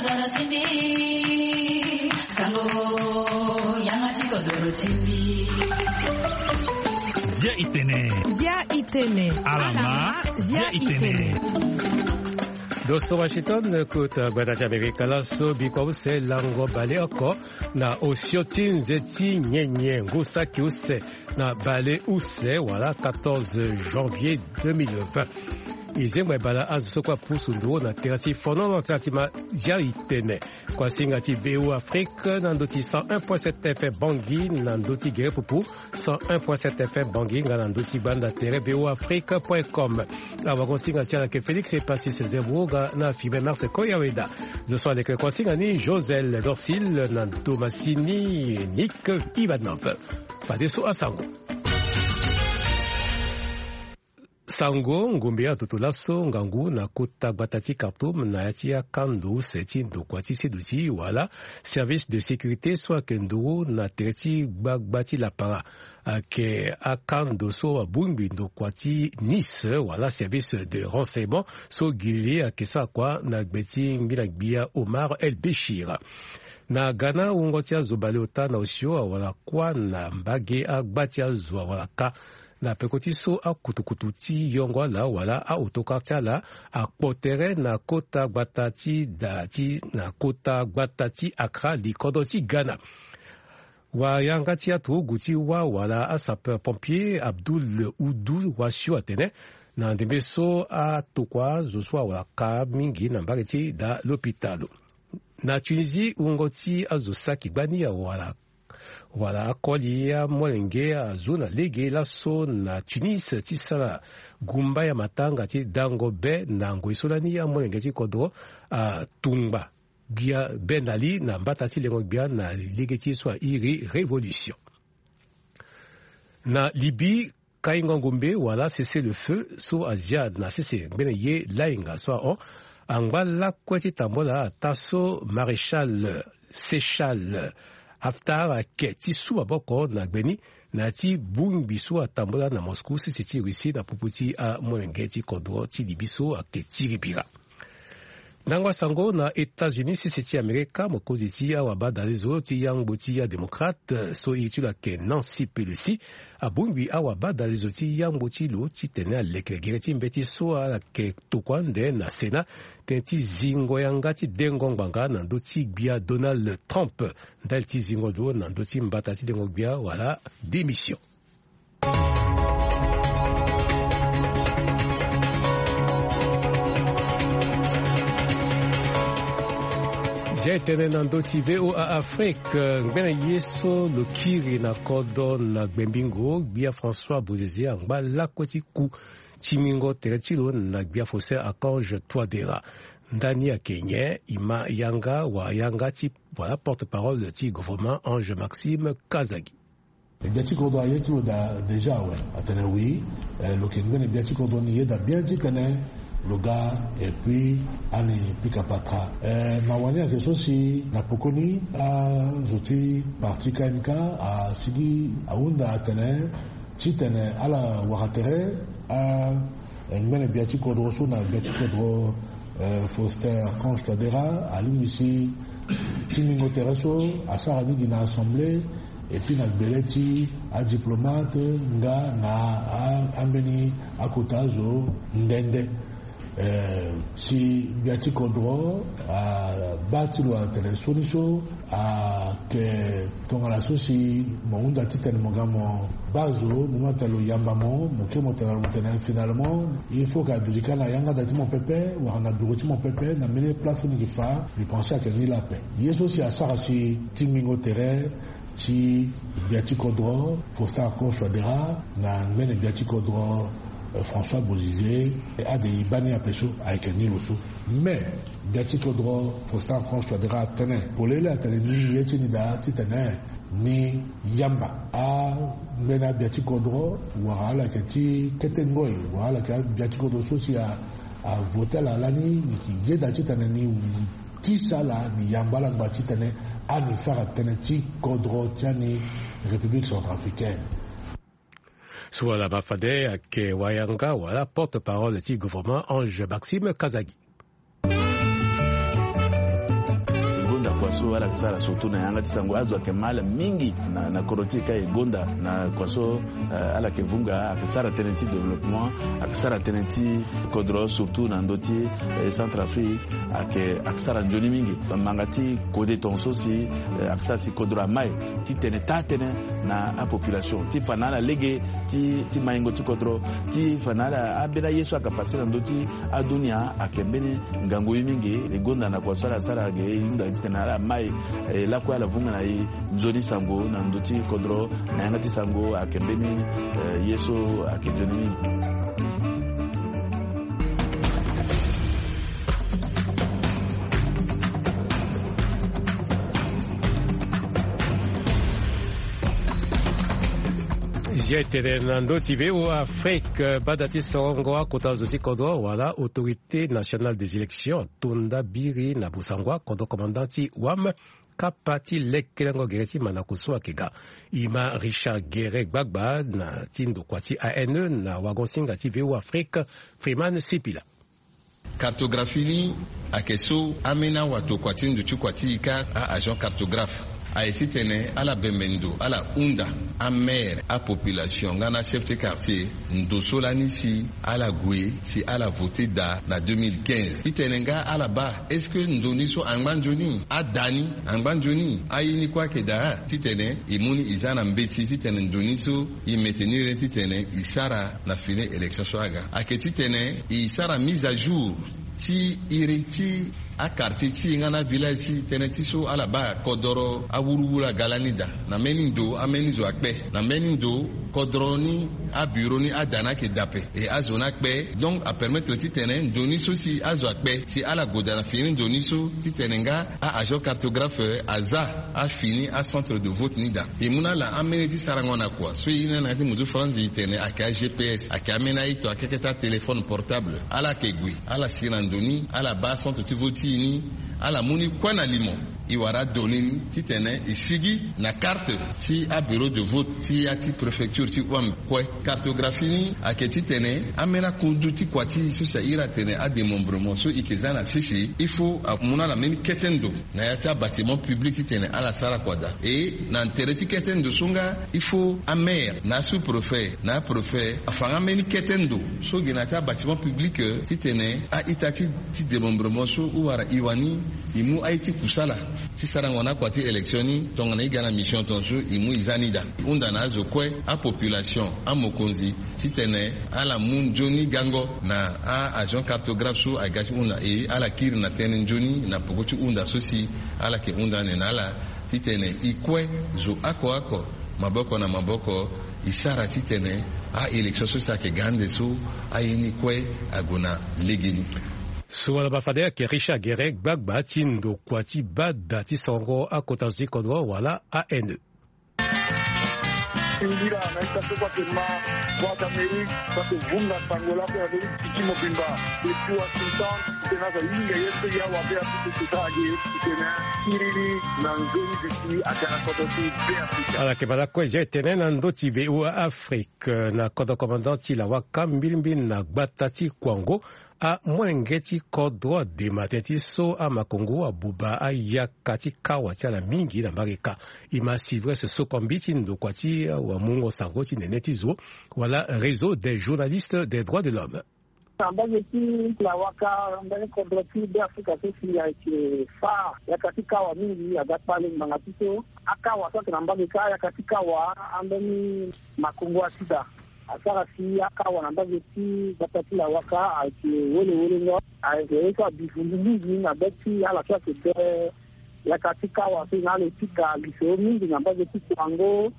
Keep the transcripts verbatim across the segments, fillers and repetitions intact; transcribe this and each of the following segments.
Bia itene. Bia itene. Alama. Bia itene. Doso Washington, kota gbata ti Amerika laso, bikua use lango baleoko na osio ti nze ti nyenye ngu saki use na baleuse wala quatorze janvier deux mille vingt. E zengba e bala azo so kue apusu nduru na tere ti fonono ti atima. Bia itene. Kuasinga ti V O Afrique na ndö ti cent un point sept F M Bangui na ndö ti gere pupu, cent un point sept F M Bangui nga na ndö ti gbanda tere V O Afrique point com. Awagosinga ti ala yeke Félix Epasis Zembo nga na Fibe Mars Koyaweda. Zo so aleke kuasinga ni Josel Dorsil na Thomasini Nick Ivanov. Fadeso asango. Sango ngombe ya toto laso ngangu na kota gbata ti Khartoum na ya ti akando use ti ndokua ti seduti wala service de sécurité so ayeke nduru na tere ti gbagba ti lapara. Ayeke akando so abongbi ndokua ti Nice wala service de renseignement so gi li ayeke sara kua na gbe ti ngbila gbia Omar El Béchir. Na ga na wungo ti azo baleota na osio awara kuâ na mbage agba ti azo awara kâ. Na peko ti so akutukutu ti yongo ala wala a-autocar ti ala akpo tere na kota gbata ti da ti na kota gbata ti Accra, likodro ti Ghana. Wayanga ti aturugu ti wâ wala asapeur pompier Abdoul Oudou Wassio atene na ndembe so atokua zo so awara kâ mingi na mbage ti da lopitalo. Na Tunisie, wungo ti azo saki gbani awara wala akoli amolenge azo na lege laso na Tunis ti sara gumba ya matanga ti dango be na ngoi so lani amolenge ti kodro atungba gbia be na li na mbata ti lengo gbia na lege ti ye so airi révolution. Na Libye, kaingo ngombe wala cessez-le-feu so azia na sese ngbene ye lainga so ahon angba lakue ti tambula ataa so maréchal Seychelles Haftar ayeke ti su maboko na gbe ni na ya ti bongbi so atambula na Moscou sese ti Russie na popo ti amolenge ti kodro ti Libye so ayeke tiri bira. Ndango asango na États-Unis, sese ti Amerika, mokonzi ti awabadalezo ti yangbo ti adémocrate so iri ti lo ayeke Nancy Pelosi abongbi awabadalezo ti yangbo ti lo titene aleke gere ti mbeti so ala yeke tokua ande na Sénat tënë ti zingo yanga ti dengo ngbanga na ndö ti gbia Donald Trump ndali ti zingo lo na ndö ti mbata ti dengo gbia wala démission. Zia e tene na ndö ti V O A Afrique, ngbene ye so lo kiri na kodro na Gbembingo, gbia François Bozizé angba lakue ti ku tingbingo tere ti lo na gbia Faustin Archange Touadéra. Ndani ayeke nyen? E ma yanga wayanga ti wala porte-parole ti gouvernement Ange Maxime Kazagi. Gbia ti kodro aye ti lo daa déjà awe. Atene oui, eh, lo yeke ngbene gbia ti kodro ni yeda bien titene lo ga, et puis ani pika pata. Eh, mawa ni ayeke so si na pokoni azo ti parti K M K asigi ahunda atene titene ala wara tere a ngbene gbia ti kodro so na gbia ti kodro, eh, Faustin Archange Touadéra alingbi si tingbingo tere so asara ni gi na assemblée, et puis na gbele ti adiplomate nga na a, ambeni akota azo nde nde. Eh, si gbia ti kodro abaa ti lo atene sioni so ayeke tongana so si mo hunda titene mo ga mo baa zo, mo mu atene lo yamba mo, mo kiri mo tene na lo mo tene finalement il faut que aduti kâ na yanga da ti mo pepe wala na bureau ti mo pepe na mbeni place so ni yeke fa. Mbi pense ayeke ni laa ape. Ye so si asara si tingbingo tere ti gbia ti kodro Faustin Archange Touadéra na ngbene gbia ti kodro, eh, François Bozizé, ade e baa ni ape so ayeke ni lo so. Mais gbia ti kodro Faustin Archange Touadéra atene polele atene ni ye ti ni daa titene ni yamba angbene agbia ti kodro wala ala yeke ti kete ngoi wala ala yeke agbia ti kodro so si a, avote ala lani, ni yeke yeda titene ni tisa ala, ni yamba ala ngba titene ani sara tënë ti kodro ti ani République centrafricaine. So ala ma fade ayeke wayanga wala porte-parole ti gouvernement Ange Maxime Kazagi. Kua so ala yeke sara surtout na yanga ti sango azo ayeke ma ala mingi na, na kodro ti e ka e gonda na kua so, eh, ala yeke vunga ayeke sara tënë ti développement, ayeke sara tënë ti kodro surtout na ndö ti, eh, Centrafrique ayeke, ayeke sara nzoni mingi. Manga ti kode tongaso si, eh, ayeke sara si kodro amai ti tene taa tënë na apopulation ti fa na ala lege ti, ti maingo ti kodro, ti fa na ala ambeni aye so ayeke pase na ndö ti adunia ayeke mbeni ngangu ye mingi. E gonda na kua so ala sara ge e hunda titene ala mai, eh, lakue ala vunga na e nzoni sango na ndö ti kodro na yanga ti sango ayeke mbeni, eh, ye so ayeke nzoni mingi. Zia e tene na ndö ti V O A Afrique, bada ti sorongo akota zo ti kodro wala Autorité Nationale des Élections ato nda biri na bosango akodro commandant ti wam kapa ti lekelengo gere ti mandako so ayeke ga. E ma Richard Guéret Gbagba na ti ndokua ti A N E na wagon-singa ti V O A Afrique, Freeman Sipila. Cartographie ni ayeke so ambeni awatokua ti ndo ti kua ti e ka a-agent cartographe aye titene ala bembe ndo ala hunda amaire, apopulation nga na achef ti quartier ndo so lani si ala gue si ala vote daa na deux mille quinze. Titene nga ala baa est-ce que ndo ni so angba nzoni? Ada ni angba nzoni? Aye ni kue ayeke daa titene e mu ni e za na mbeti titene ndo ni so e maintenir ni titene e sara na fini élection so aga. Ayeke titene e sara mise à jour ti iri ti aquartier ti e nga na avillage ti e tënë ti so ala baa kodoro awuruwuru aga lani daa. Na mbeni ndo ambeni zo akpe, na mbeni ndo kodoro ni abureau ni ada ni ayeke daa ape. E azo ni akpe. Donc apermettre titene ndo ni so si azo akpe si ala gue daa na fini ndo ni so titene nga a-agent cartographe aza afini acentre de vote ni daa. E mu na ala ambeni ti sarango na kua so e ye ni na yanga ti muzu franzi e tene ayeke a-G P S, ayeke ambeni aito akeke ti atéléphone portable. Ala yeke gue ala si na ndo ni, ala baa acentre ti vote ti e ni, ala mu ni kue na limo. E wara adonné ni titene e sigi na carte ti abureau de vote ti ya ti préfecture ti wam kue. Cartographie ni ayeke titene ambeni akundu ti kua ti e so si a iri atene adémembrement so e yeke za na sese, il faut amu na ala mbeni kete ndo na ya ti abâtiment public titene ala sara kua daa. E na tere ti kete ndo so nga il faut amaire na asous-préfet na apréfet afa nga mbeni kete ndo so gi na ya ti abâtiment public, eh, titene a-ita ti, ti démembrement so e wara e wani e mu aye ti kusala ti sarango na akua ti élection ni tongana e ga na mission tongaso e mu e za ni daa. E hunda na azo kue, apopulation, amokonzi, titene ala mu nzoni gango na a-agent cartographe so aga ti hunda e, ala kiri na tënë nzoni na peko ti hunda so si ala yeke hunda ande na ala titene e kue zo oko oko, maboko na maboko, e sara titene a-élection so si ayeke ga ande so aye ni kue ague na legeni. So wala baa fade ayeke Richard Guéret Gbagba ti ndokua ti bada ti sorongo akota zo ti kodro wala A N E. Singila na ita so kue ayeke ma Voix d'Amérique, so ayeke vunga sango lakue na ndö ti titi mobimba. Depuis Washington, titene azo ahinga ye so ya wabe apupu kota age titene akiri ni na nzoni duti aga na kodro ti Beafrika. Ala yeke ma lakue zia e tene na ndö ti V O A Afrique, na kodro commandant ti Lawaka mbilimbili na gbata ti Kouango. Amolenge ti kodro adema tënë ti so amakongo abuba ayaka ti kawa ti ala mingi na mbage ka. E ma Sylvestre Sokombi ti ndokua ti wamungo sango ti nene ti zo wala Réseau des journalistes des droits de l'homme. Na mbage ti Lawaka, mbage kodro ti Beafrika so si ayeke fâ yaka ti kawa mingi aga kpale ngbanga ti so akawa so ayeke na mbage ka, yaka ti kawa ambeni makongo asida asara si akawa na mbage ti gbata ti Lawaka ayeke wele wele ngo. Ayeke ye so abi vundu mingi na be ti ala so ayeke be yaka ti kawa so e na ala e pika lisoro mingi na mbage ti Kouango.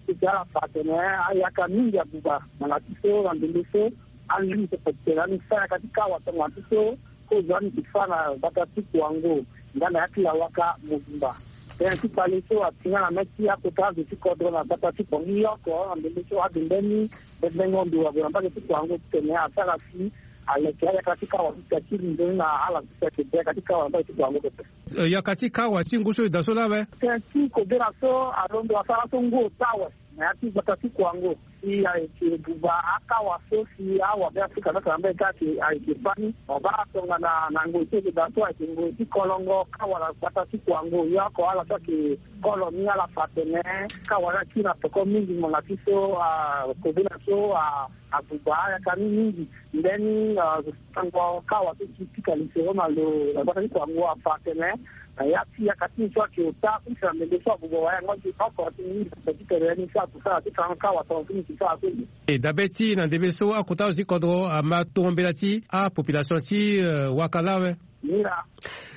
Ti ti ala fa atene ayaka mingi abuba ngbanga ti so na ndembe so. Alingbi pepe ti tene ani fâ yaka ti kawa tongana ti so. Kozo ani yeke fâ na gbata ti Kouango nga na ya ti Lawaka mobimba. Tënë ti kpale so ati nga na mê ti akota azo ti kodro na gbata ti Kouango ni oko na ndembe so ade mbeni bembengo ndo ague na mbage ti Kouango titene asara si aleke ayaka ti kawa ti tia ti ri nzoni na ala so si ayeke be yaka ti kawa na mbage ti Kouango pepe. Eh, yaka ti kawa ti ngu so e daa so laa awe? Tënë ti kobela so alondo asara so ngu ota awe. Na ya ti gbata ti kuango si ayeke buba akawa so si awabe Afrika nyonso na mbage kâ ayeke, ayeke baa ni. Wabaa tongana na ngoi ti eke daa so ayeke ngoi ti kolongo kawa na gbata ti kuango. Yo oko ala so ayeke kolo ni ala fa atene kawa ni akiri na peko mingi ngbanga ti so, ah, kobela so, ah, abuba ayaka ni mingi. Ndeni, ah, sango kawa so ti pika lisoro na lo na gbata ti kuango afa atene na ya ti yaka ti so ayeke ota kusa na ndembe so abuba wa yango ayeke oko ti mingi na ti tene ni so akusala ti fango kawa tonga ti ni ti sara so. E dabe ti na ndembe so akota zo ti kodro ama tongo mbela ti apopulation ti, eh, waka lawe. Ngira.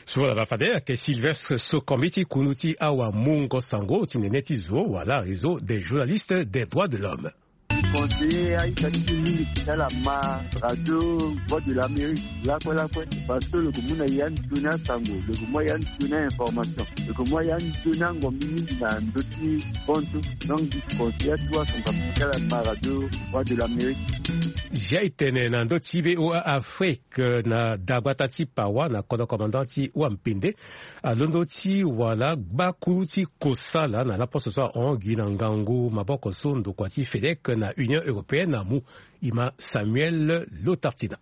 So wala ba fade ayeke Sylvestre Sokombi ti kunu ti awa mungo sango ti nene ti zo wala réseau des journalistes des droits de l'homme. Conseiller aita ti mingi ti tala ma radio Voix de l'Amérique lakue lakue. Parce que lo ke mu na ya nzoni asango, lo ke mu ya nzoni a-information, lo ke mu ya nzoni angombi mingi na ndö ti bontu. Donc di conseiller atu asango ti tala ma radio Voix de l'Amérique. Zia e tene na ndö ti V O A Afrique, eh, na dagbata ti Pawa na kodro commandant ti Wampende. Alondo ti wala gbakulu ti kosala na laposo so ahon gi na ngangu maboko so ndokua ti FEDEC na Union Européenne amu. E ma Samuel Lotartina.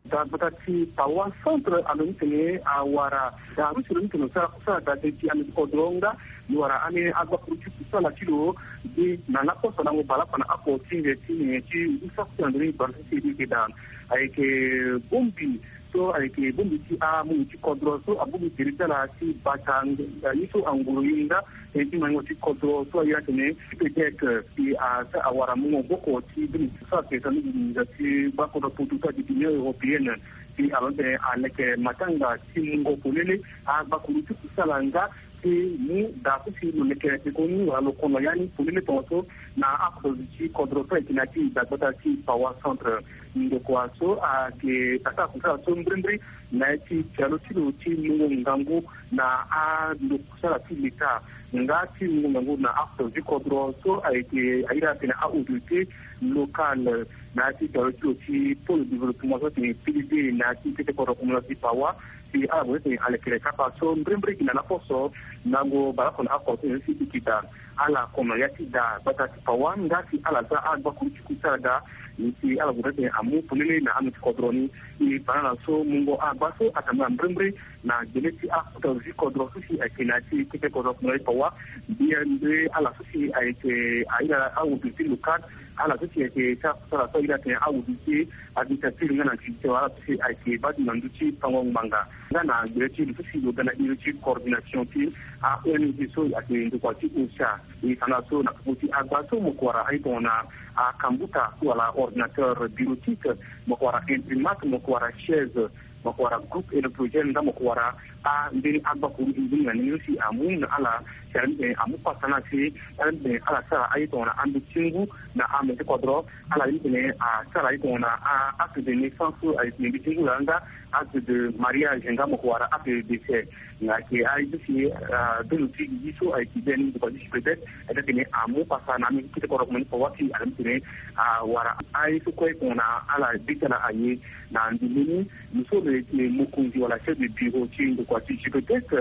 Dagbata ti Pawa centre alondo ti tene awara da rusi lo ni tene lo sara kusala da de ti ame ti kodro nga lo wara ame agbakulu ti kusala ti lo de na laposo na ngo baleoko na oko ti nze ti nyen ti ngu saki ti na ndoni baleoko ti siriri ke da. Ayeke bongbi so ayeke bongbi ti amungo ti kodro so abongbi tere ti ala ti bata ye so anguru ye nga tene ti maingo ti kodro so aye atene FEDEC. Si asa awara mungo maboko ti bongbi so ayeke sara mingi nginza ti gbakodro poto so adi Union Européenne. Si alondo tene aleke matanga ti mungo polele agbakulu ti kusala nga ti mu da so si lo leke pekoni wala lo kono ya ni polele tongaso na apotozi ti kodro so ayeke na ya ti dagbata ti Pawa centre. Ndokua so ayeke tata akusala so mbrimbri na ya ti pialo ti lo ti mungo ngangu na ando kusala ti leta nga ti mungo ngangu na apotozi ti kodro so ayeke airi atene a-autorité locale na ya ti pialo ti lo ti pôle de développement so atene P D D na ya ti kete kodro komono ti Pawa. Si ala gue ti tene alekere kapa so mbrimbri gi na laposo na ngu baleoko na oko ti nze ti siriri ke da. Ala kono ya ti da gbata ti Pawa nga si ala za agbakulu ti kusala da. Ni si ala gue ti tene amu polele na ame ti kodro ni. E fa na ala so mungo agba so atambula mbrimbri na gbele ti akota zi kodro so si ayeke na ya ti kete kodro komono ti Pawa. Mbi mbi ala so si ayeke airi a-autorité locale, ala so si ayeke sara kusala so airi atene a-autorité administrative nga na judiciaire, ala so si ayeke baa ti na ndö ti fango ngbanga nga na gbele ti lo so si lo ga na iri ti coordination ti a-O N G so ayeke ndokua ti OCHA. E fa na ala so na popo ti agba so mo yeke wara aye tongana akambuta wala ordinateur bureautique, mo yeke wara imprimante, mo yeke wara chaise, mo yeke wara groupe électrogène nga mo yeke wara ambeni agbakuru mbeni na ni so si amu na ala. Si ala ni tene amu pasa na ala si ala ni tene ala sara aye tongana ando ti ngu na ame ti kodro. Ala ni tene asara aye tongana acte de naissance so ayeke mbeti ngu laa nga acte de mariage nga mo yeke wara acte de décès. Nga ayeke aye so si, ah, bendo ti gigi so ayeke biani ndokua ti JPEDEC. Ayeke atene amu pasa na ame ti kete kodro komono ti Pawa si ala ni tene awara aye so kue tongana ala be ti ala aye. Na ndembe ni, lo so lo yeke mokonzi wala chef de bureau ti ndokua ti JPEDEC,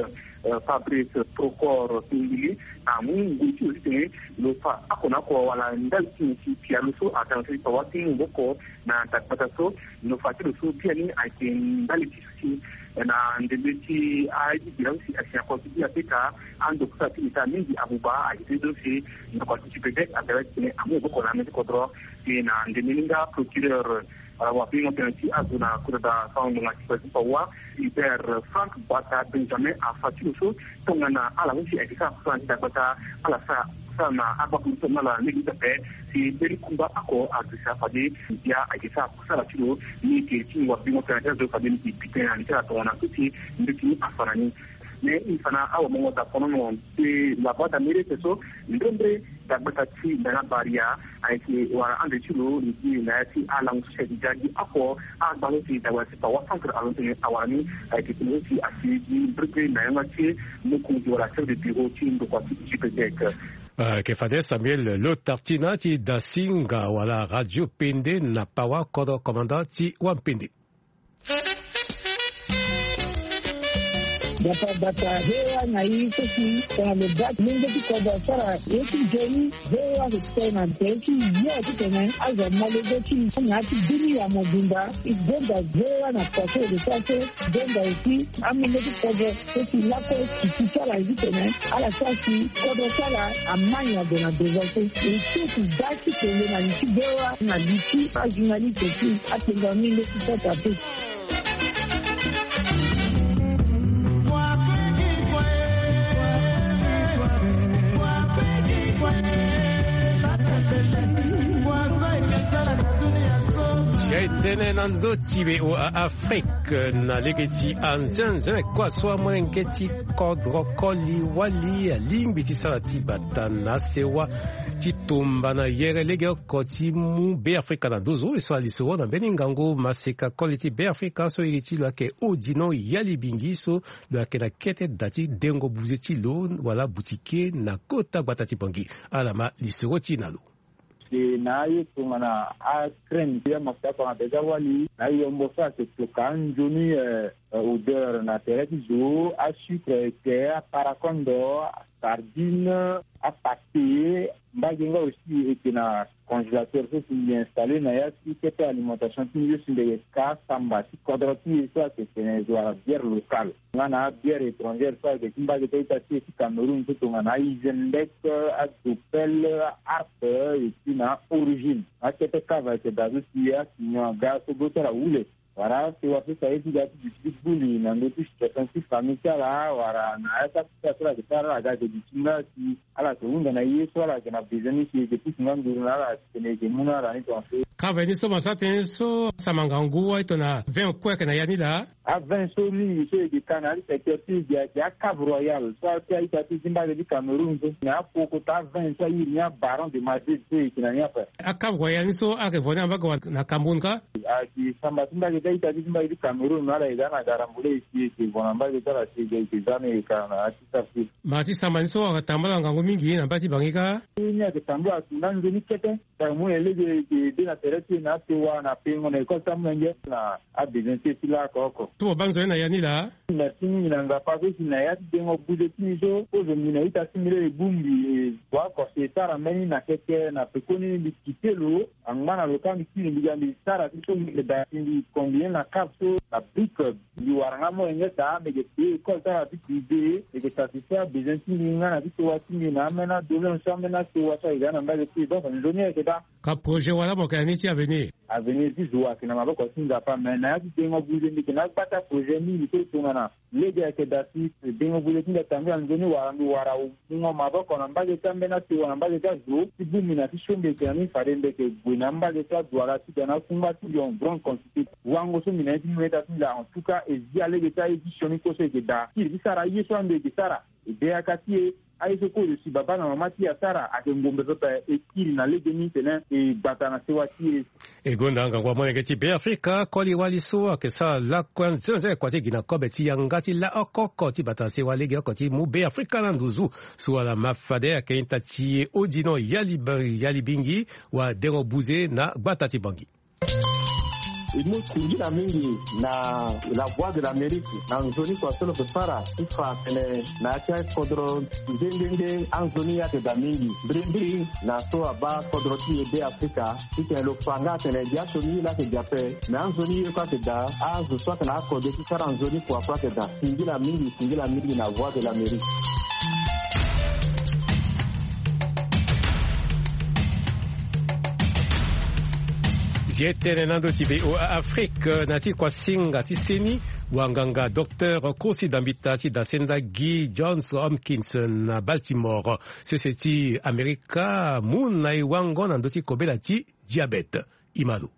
eh, Fabrice Procor Singili, amu ngoi ti lo titene lo fa oko na oko wala ndali ti nyen ti pialo so atene so ti Pawa ti mu maboko na dagbata so. Lo fa ti lo so biani ayeke ndali ti so si na ndembe ti aye ti bira so si asi na kolo ti bira peka ando kusala ti leta mingi abuba ayeke tënë so si ndokua ti JPEDEC aga titene amu maboko na ame ti kodro. Ti na ndembe ni nga procureur wala wabengo tënë ti azo na kota da fango ngbanga ti Pawa, Hubert Frank Bata Benjamin afa ti lo so tongana ala so si ayeke sara kusala na ti dagbata, ala sara kusala na agbakuru so na ala lege ti ape. Si mbeni kumba oko aduti afade, ya ayeke sara kusala ti lo. Ni yeke ti wabengo tënë ti azo fade ni yeke bi tënë na li ti ala tongana so si mbeti ni afa na ni. Mais e fa na awamongo daponono ti La Voix d'Amérique so, mbrembre dagbata ti Ndanga Baria ayeke wara ande ti lo ni gi na ya ti alango so si ayeke ga gi oko agba so si dagbata ti Pawa centre alondo tene awara ni. Ayeke tene so si asi gi mbrembre na yanga ti mokonzi wala chef de bureau ti ndokua ti JPEDEC. Ayeke fade Samuel Lotartina ti Dasinga wala Radio Pende na Pawa, kodro commandant ti Wampende. Gbata gbata, voa na i so si tongana lo baa ti lenge ti kodro asara ye ti nzoni. Voa so ti tene na tere ti yo titene azo amolenge ti na ya ti bini ya mobimba. I gonda voa na kua so e lo sara so. Gonda aussi amolenge ti kodro so si lakue ti ti ti ala ye titene ala sara si kodro ti ala amai na gue na devant so. E so ti da ti kele na li ti voa na li ti ajournaliste ti apenga mingi ti sota pe. Sia e tene na ndö ti voa Afrique na lege ti anzenze kua so amolenge ti kodro koli wali alingbi ti sara ti bata na sewa ti tumba na yere legeoko ti mu Beafrika na nduzu. E sara lisoro na mbeni ngangu maseka koli ti Beafrika so iri ti lo ayeke Odino Yalibingi so lo yeke na kete da ti dengo buze ti lo wala butike na kota gbata ti Bangui. Ala ma lisoro ti e na lo. Si na aye tongana acrème ti amasta tongana déjà wali na ayombo so ayeke toka anzoni, eh, eh, odeur na tere ti zo, asucre eke, aparakondo, asardine, apate. Mbage nga aussi eke na congélateur so si mbi installé na ya ti kete alimentation ti mbi so si mbi yeke ka samba ti kodro ti e so ayeke tene zo wala bière locale. Nga na abière étrangère so ayeke ti mbage ti a-ita ti e ti Cameroun so tongana a-Isenbeck, a-Dopel, a-Harp, et puis na a-Origine. Akete cave ayeke daa so si acignon aga so gbe so ala wule. Wala sewa so si aye ti ga ti duti ti buli na ndö ti situation ti famille ti ala wala na ya ti akota so ala yeke sara ala ga ayeke duti nga si ala yeke hunda na ye so ala yeke na besoin ni si e yeke pusu nga nduru na ala titene e yeke mu na ala ni tongaso. Cave ni so mo sara tënë so asara ngangu wali tongana vin kue ayeke na ya ni laa. Avin so mingi so e yeke ka na ya ti secteur ti e gi ayeke a-Cave Royal so a-ita ti e ti mbage ti Cameroun so na apoko kota avin so a iri ni a-Baron de Madrid so e yeke na ni ape. A-Cave Royal ni so ayeke vo ni na mbage wala na Cameroun kâ? Ayeke samba ti mbage ti a-ita ti e ti mbage ti Cameroun na ala e ga na ga rambule e si e yeke vo na mbage ti ala si e yeke za ni e yeke ka na ya ti sara ti e. Ma ti samba ni so ayeke tambula ngangu mingi na mbage ti Bangui kâ? Ni ayeke tambula atunga nzoni kete. Tara mu na e lege e de na tere ti e na asewa na pengo na école ti amolenge na abezoin ti e ti laa oko oko. So mo baa nzoni na ya ni laa? Merci mingi na ngapa so si na ya ti dengo buze ti mbi so kozo mbi na ita ti mbi laa e bongbi e wa kose e sara mbeni na keke na pekoni mbi kite lo angba na lo kâ mbi kiri mbi ga mbi sara ti so mbi yeke daa si mbi combine na cave so na brique. Mbi wara nga molenge daa mbi yeke payé école ti ala ti privé mbi yeke satisfait abezoin ti mbi nga na ti sewa ti mbi na ambeni adoléance so ambeni asewa so ayeke daa na mbage ti e donc nzoni ayeke daa. Ka projet wala mo yeke na ni ti avenir? Avenir ti zo ayeke na maboko ti nzapa me na ya ti dengo buze mbi yeke na agba ti aprojet mingi so tongana lege ayeke daa si dengo buze ti mbi atambula nzoni wala mbi wara mungo maboko na mbage ti ambeni asewa na mbage ti azo ti bongbi na ti so mbi yeke na ni fade mbi yeke gue na mbage ti adwala ti ga na akungba ti mbi en grande quantité. Wango so mbi na ye ti mu na ita ti mbi laa en tout cas e zi alege ti aye ti sioni kue so e yeke daa kiri ti sara aye so ande e yeke sara e de yaka ti e. Aye so kozo si babâ na mama ti e asara ayeke ngombe pepe e kiri na legeni tene e gbata na sewa ti e. E gonda ngangu amolenge ti Beafrika koli wali so ayeke sara lakue nzenze kua ti gi na kobe ti yanga ti laa oko oko ti bata na sewa legeoko ti mu Beafrika na nduzu. So ala ma fade ayeke ita ti e Odino Yali Yalibingi wa dengo buze na gbata ti Bangui. E mu singila mingi na La Voix de l'Amérique na nzoni kua so lo yeke sara ti fa atene na ya ti akodro nde nde nde anzoni ayeke daa mingi. Mbirimbiri na so abaa kodro ti e Beafrika titene lo fa nga atene gi asioni ye laa ayeke gi ape. Me anzoni ye kue ayeke daa azo so ayeke na akode ti sara nzoni kua kue ayeke daa. Singila mingi singila mingi na Voix de l'Amérique. Zi etene na ndo ti voa Afrique na ti kuasinga ti seni wanganga docteur Kosi Dambita ti dasenda Guy Johns Hopkins na Baltimore sese ti Amerika mu na e wango na ndö ti kobela ti diabète. Imalo.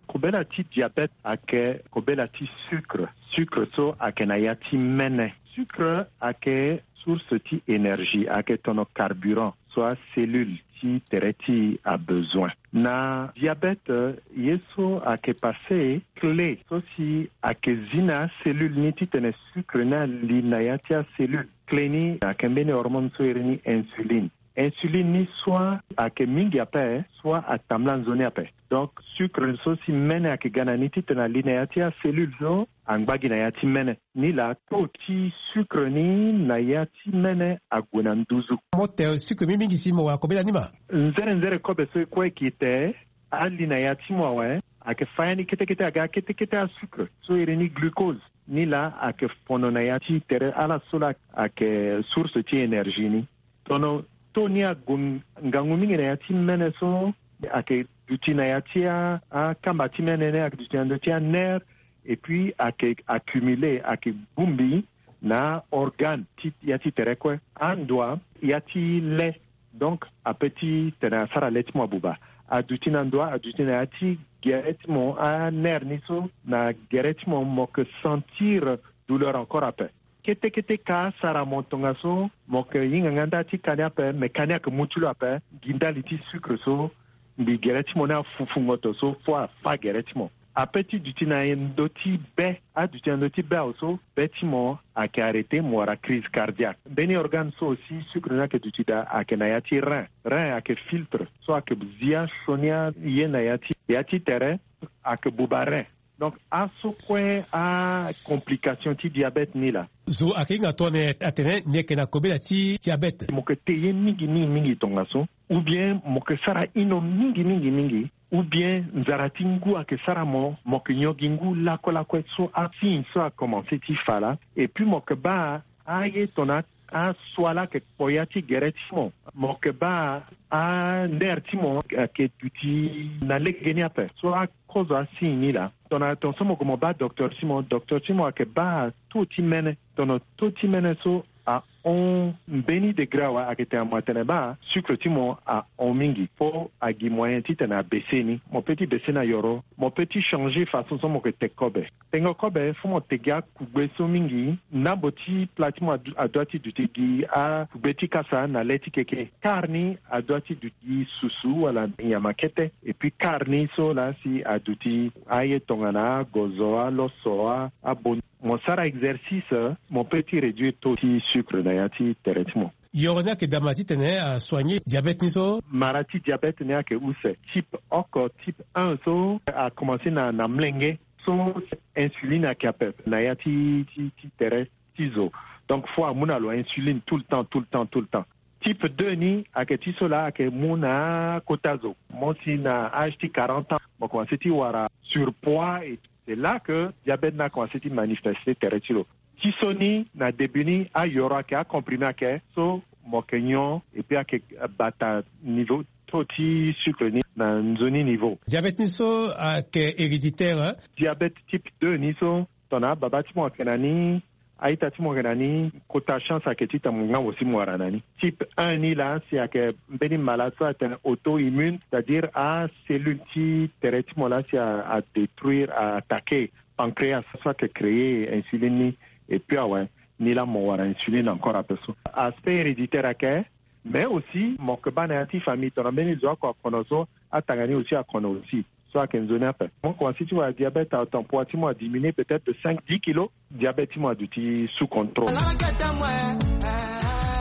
Kobela ti diabète ayeke kobela ti sucre. Sucre so ayeke na ya ti mene. Sucre ayeke source ti énergie, ayeke tono carburant so acellule ti tere ti abezoin. Na diabète ye so ayeke pase clé so si ayeke zi na acellule ni titene sucre ni ali na ya ti acellule. Clé ni ayeke mbeni hormone so iri ni insuline. Insuline ni soit ayeke mingi ape, soit atambula nzoni ape. Donc sucre so si mene ayeke ga na ni titene ali na ya ti acellule so angba gi na ya ti mene. Nilaa taux ti sucre ni na ya ti mene ague na nduzu. Mo te sucre mingi mingi si mo wara kobela ni ma. Nzere nzere kobe so e kue e ke te, ali na ya ti mo awe, ayeke fa ya ni kete kete aga kete kete asucre so iri ni glucose. Nilaa ayeke fono na ya ti tere ala so laa ayeke source ti énergie ni. Tono taux ni ague ngangu mingi na ya ti mene so ayeke duti na ya ti a- akamba ti mene ni, ayeke duti na ndö ti anerf, et puis ayeke accumulé, ayeke bongbi na organe ti ya ti tere kue. Andoa ya ti le, donc ape titene asara le ti mo abuba. Aduti na ndoa, aduti na ya ti gere ti mo, anerf ni so na gere ti mo, mo yeke sentir douleur encore ape. Kete kete ka asara mo tongaso, mo yeke hinga nga nda ti ka ni ape, me ka ni ayeke mu ti lo ape gi ndali ti sucre so mbi gere ti mo ni afufu ngoto so fo afa gere ti mo. Ape ti duti na ndö ti be, aduti na ndö ti be awe so be ti mo ayeke arrêté, mo wara crise cardiaque. Mbeni organe so aussi sucre ni ayeke duti daa ayeke na ya ti rein. Rein ayeke filtre so ayeke zi asioni aye na ya ti ya ti tere, ayeke buba rein. Donc aso kue acomplication ti diabète ni laa. Zo ayeke hinga tongana atene ni yeke na kobela ti diabète. Mo yeke te ye mingi mingi mingi tongaso, ou bien mo yeke sara ino mingi mingi mingi, ou bien nzara ti ngu ayeke sara mo, mo yeke nyon gi ngu lakue lakue. So asigne so akomanse ti fa laa. Et puis mo yeke baa aye tongana asua laa ayeke kpo ya ti gere ti mo. Mo yeke baa anerf ti mo ayeke duti na legeni ape. So akozo asigne ni laa, tongana tongaso mo gue mo baa docteur ti mo, docteur ti mo ayeke baa taux ti mene. Tongana taux ti mene so ahon mbeni degré awe, ayeke tene mo atene baa sucre ti mo ahon mingi. Fo agi moyen titene abaisse ni. Mo peut ti baisse ni na yoro. Mo peut ti changer façon so mo yeke te kobe. Tengo kobe, fo mo te gi akugbe so mingi. Ndambo ti pla ti mo adu- adua ti duti gi akugbe ti kasa na le ti keke. Kar ni adua ti duti gi susu wala nyama kete. Et puis kar ni so laa si aduti aye tongana agozo, aloso, a- abon. Mo sara exercice, mo peut ti réduire taux ti sucre na ya ti tere ti mo. Yoro ni ayeke daa ma titene asoigner diabète ni so. Mara ti diabète ni ayeke use. Type oko, type un so akomanse na na mlenge. So insuline ayeke ape na ya ti ti ti tere ti zo. Donc fo amu na lo insuline tout le temps, tout le temps, tout le temps. Type deux ni ayeke ti so laa ayeke mu na akota zo. Mo si na âge ti quarante ans mo komanse ti wara surpoids et c'est là que diabète ni akomanse ti manifeste tere ti lo. Ti so ni na début ni ayoro ayeke, acomprimé ayeke, so mo yeke nyon et puis ayeke bata niveau taux ti sucre ni na nzoni niveau. Diabète ni so ayeke héréditaire, hein? Diabète type deux ni so tongana ababa ti mo ayeke na ni, a-ita ti mo ayeke na ni, kota chance ayeke titene mo nga mo si mo wara na ni. Type un ni laa si ayeke mbeni malade so atene auto-immune, c'est-à-dire acellule ti tere ti mo laa si a- adétruire, a- attaquer pancréas so ayeke créer insuline ni. Et puis awe, ni laa mo wara insuline encore ape so. Aspect héréditaire ayeke. Mais aussi mo yeke baa na ya ti famille tongana mbeni zo oko akono so, atanga ni aussi akono aussi. So ayeke nzoni ape. Mo komanse ti wara diabète à temps, poids ti mo adiminué peut-être de cinq, dix kilos. Diabète ti mo aduti sous contrôle.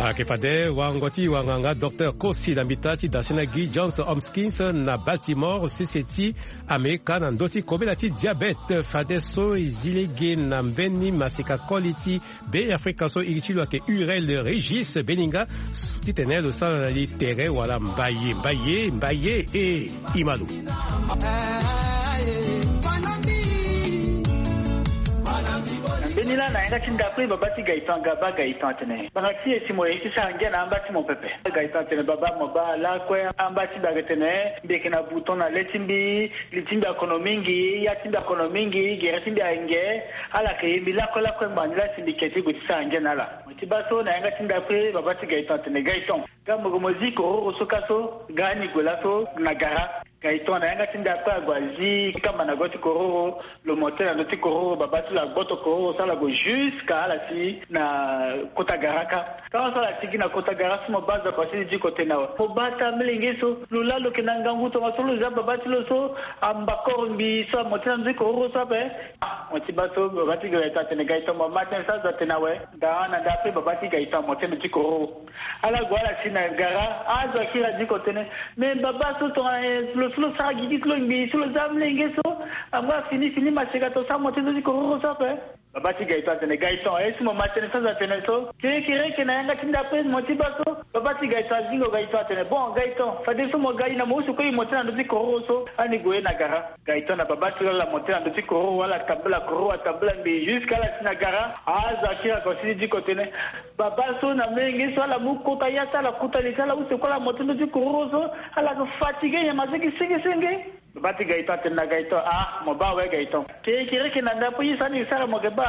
Ayeke fade wango ti wanganga docteur Kosi na mbita ti dasena gi Johns Hopkins na Baltimore, sese ti Amerika, na ndö ti kobela ti diabète. Fade so e zi lege na mbeni masika koli ti Be Afrika so iri ti lo ayeke Urel Régis Beninga, titene lo sara na li tere wala mbaye mbaye mbaye e. Imalo. Na mbeni laa na yanga ti ndakue baba ti Gaëtan, Gaba Gaëtan atene, banga ti e si mo ye ti sara ngia na amba ti mo pepe. Gaëtan atene, baba, mo baa lakue amba ti mbi ayeke tene mbi yeke na bouton na le ti mbi, li ti mbi akono mingi, ya ti mbi akono mingi, gere ti mbi ayeke nge. Ala yeke ye mbi lakue lakue ngbanga ni laa si mbi ke ti gue ti sara ngia na ala. Mo ye ti baa so na yanga ti ndakue baba ti Gaëtan atene, Gaëtan, nga mo gue mo zi kororo so kâ so, nga ni gue laso na gara. Gaëtan na yanga ti nda kue ague azi kamba na go ti kororo. Lo monte na ndö ti kororo, babâ ti lo agboto kororo so ala gue jusqu'à ala si na kota gara kâ. Tango so ala sigi na kota gara so mo bâ zo ako si ti diko tene awe. Mo bâ ata molenge so, lo laa lo yeke na ngangu tongaso lo zia babâ ti lo so amba koro ngbii so amonte na ndö ti kororo so ape. Ah, mo ti bâ so, babâ ti Gaëtan atene Gaëtan mo ma tënë so azo atene awe. Gara na nda ape babâ ti Gaëtan amonte na ndö ti kororo. Ala gue ala si na gara, azo akiri adiko tene. Me babâ so tongana eh, lo so lo sara gigi ti lo ngbii so lo zia amolenge so. Angba fini fini maseka tongaso amonte na ndö ti kororo so ape. Babâ ti Gaëtan atene Gaëtan, eh, si mo ma tënë so azo atene so. Kerekereke na yanga ti nda ape mo ti bâ so. Babâ ti Gaëtan azingo Gaëtan atene bon Gaëtan, fadeso mo ga i na mo use kue i monte na ndö ti kororo so. Ani gue na gara. Gaëtan na babâ ti lo ala monte na ndö ti kororo, ala tambula kororo, atambula ngbii jusqu'à ala si na gara. Azo akiri ako si ti diko tene. Babâ so na molenge so ala mu kota ya ti ala kota li ti ala use kue ala monte ndö ti kororo so. Ala yeke fatigué nyama so gi senge senge. Babâ ti Gaëtan atene na Gaëtan ah mo bâ awe Gaëtan. Kerekereke na nda ape ye so ani sara mo yeke bâ.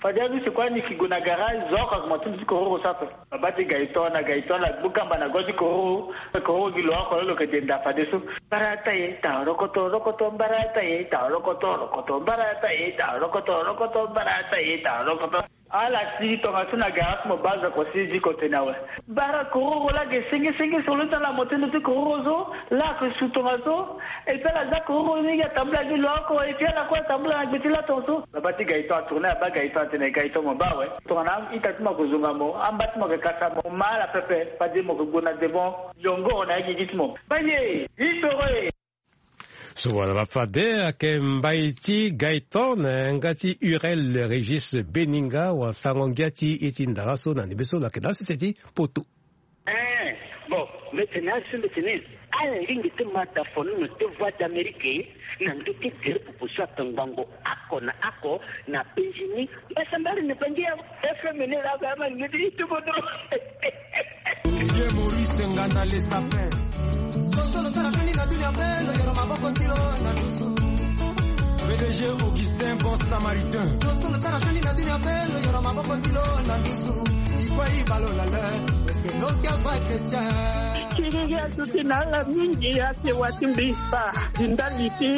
Fade ani use kue ani yeke gue na gara zo ako ako monte ndö ti kororo so ape. Babâ ti Gaëtan na Gaëtan ala gbu kamba na go ti kororo. Kororo gi lo oko lo lo yeke denda fadeso. Mbarata e ta rokoto rokoto mbarata e ta rokoto rokoto mbarata e ta rokoto rokoto mbarata e ta rokoto. Ala si tongaso na gara so mo bâ zo ako si ti diko tene awe. Bara kororo laa ge senge senge so lo ti ala monte ndö ti kororo so. Laa ako su tongaso. Et puis ala zia kororo ni gi atambula gi lo oko et puis ala kue atambula na gbe ti laa tongaso. Babâ ti Gaëtan atourné abâ Gaëtan atene Gaëtan mo bâ awe. Tongana a-ita ti mo ako zonga mo, amba ti mo ayeke kasa mo, ma ala pepe, fade mo yeke gue na devant, yongoro na ya gigi ti mo. Baye, histoire. So wala ba fade ayeke mbai ti Gaëtan na yanga ti Hurel Régis Beninga, wala sango ngia ti e ti ndara so na ndembe so lo yeke na sese ti poto. Eh, bon, mbeti ni asi mbeti ni. Ala lingbi ti ma tafono na ndö ti Voix d'Amérique na ndö ti gere pupu so ayeke ngbongo oko na oko na penzi ni. Mbasambari na bangi ya F M ni laa ga ama lingbi ti tuku dro. Vieux Maurice Ngana le sapin. Soso lo sara fini na dunia mpe lo yoro maboko ti lo na dusu. P D G Augustin Bon Samaritain. Soso lo sara fini na dunia mpe lo yoro maboko ti lo na dusu. Ikwa ibalo la le, parce que lo kia va chrétien. Kiriri atuti na ala mingi ake wa ti mbi spa. Ndali ti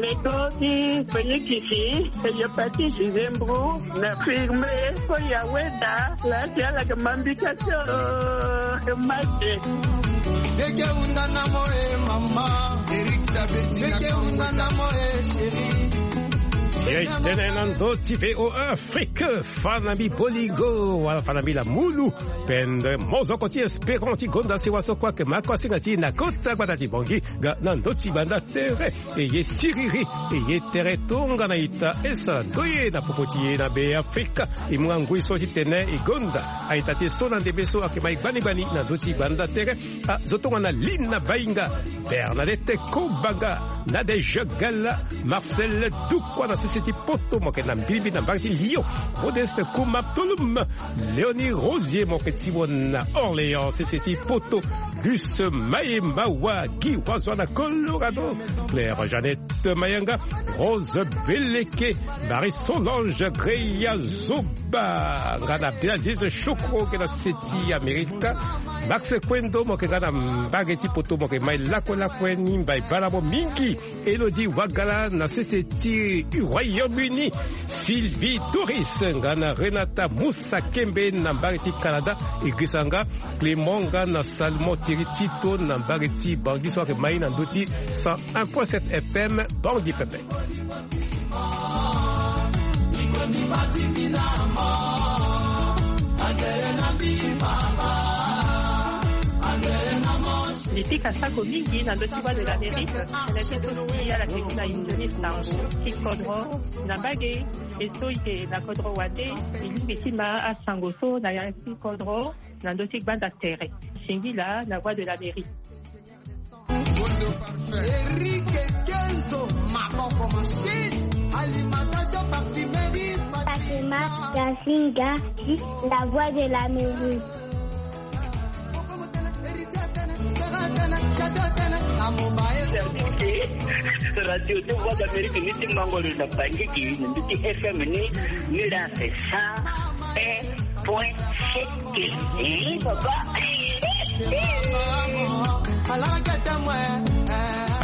medo ti penikisi, hepatite, zembro, na firme, koya weda, laa ti ala yeke ma mbi ka ti o, ma te. Beke hunda na mo e mama. Eric Saberti na Beke hunda na mo e chéri. Ye tene na ndö ti V O A Afrique, fa na mbi Boligo, wala fa na mbi Lamulu. Pendre mozoko ti Espérant ti gonda sewa so kue ayeke ma kue asinga ti e na kota gbata ti Bangui. Ga na ndö ti banda tere, e ye siriri, e ye tere tongana ita e sara ndoye na popo ti e na Beafrika. E mu nga ngoi so ti tene e gonda a-ita ti e so na ndembe so ayeke ma e gbani gbani na ndö ti banda tere. Azo tongana Lina Bainga, Bernadette Kobanga, Nadège Gala, Marcel Dukwa na sese ti poto mo yeke na mbilimbili na mbage ti Lyon, Modeste Kuma Tolum, Léonie Rosier mo yeke ti mo na Orléans, sese ti poto, Luce Maye Mawa, Guy Wazwa na Colorado, Claire Jeannette Mayanga, Rose Beleke, Marie Solange Greya Zoba, nga na Abdelaziz Chokro ke na sese ti Amerika, Max Kwendo mo yeke nga na mbage ti poto mo yeke ma e lakue lakue ni mbai bala mo mingi. Elodie Wagala na sese ti Royaume-Uni, Sylvie Doris nga na Renata Moussa Kembe na mbage ti Canada, e gisa nga Clément nga na Salomon Thierry Tito na mbage ti Bangui so ayeke ma e na ndö ti cent un point sept F M Bangui pepe. Mbi pika sako mingi na ndö ti Voix de l'Amérique, tënë ti so si ala yeke gi na e nzoni sango ti kodro na mbage, e so e yeke na kodro wande, e lingbi ti ma asango so na ya ti kodro na ndö ti gbanda tere. Singila na Voix de l'Amérique. Eric Kenzo, maboko machine, alimentation parfumerie. Fatima Kasinga, la Voix de l'Amérique. Radio ti Voix d'Amérique ni ti mango lo na Bangui gi, na ndö ti F M ni, ni la c'est cent un point sept. Eh, papa.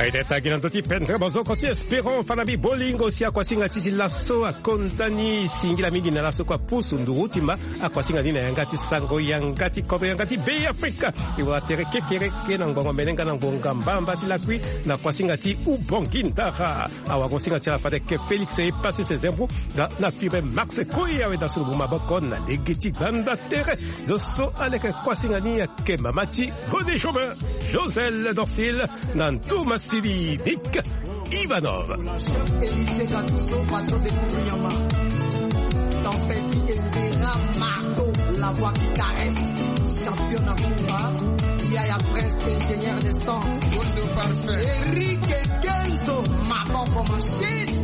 Aye tagi na ndö ti pendre bozoko ti Espérant Fanabi Bolingo si akuasinga ti ti laso akonda ni singila mingi na laso kua pusu nduru ti ma akuasinga ni na yanga ti sango yanga ti kodro yanga ti Be Afrika. E wara tere kekereke na ngbongo mene nga na ngbonga mbamba ti lakui na kuasinga ti Ubongi Ndara. Awagosinga ti ala fade ke Félix e pasi se zembro nga na fibre Max Koy awe da sulubu maboko na lege ti gbanda tere. Zo so aleke kuasinga ni ayeke mama ti René Jobin, Josel Dorsil, na Thomas Sidi, Nick Ivanov. Élysée Gattuso, patron de Kounyama. Tempête Espera Marco, la voix qui caresse. Champion na Kumba. Yaya Prince, ingénieur de son. Bonjour parfait. Eric Kenzo, maboko machine.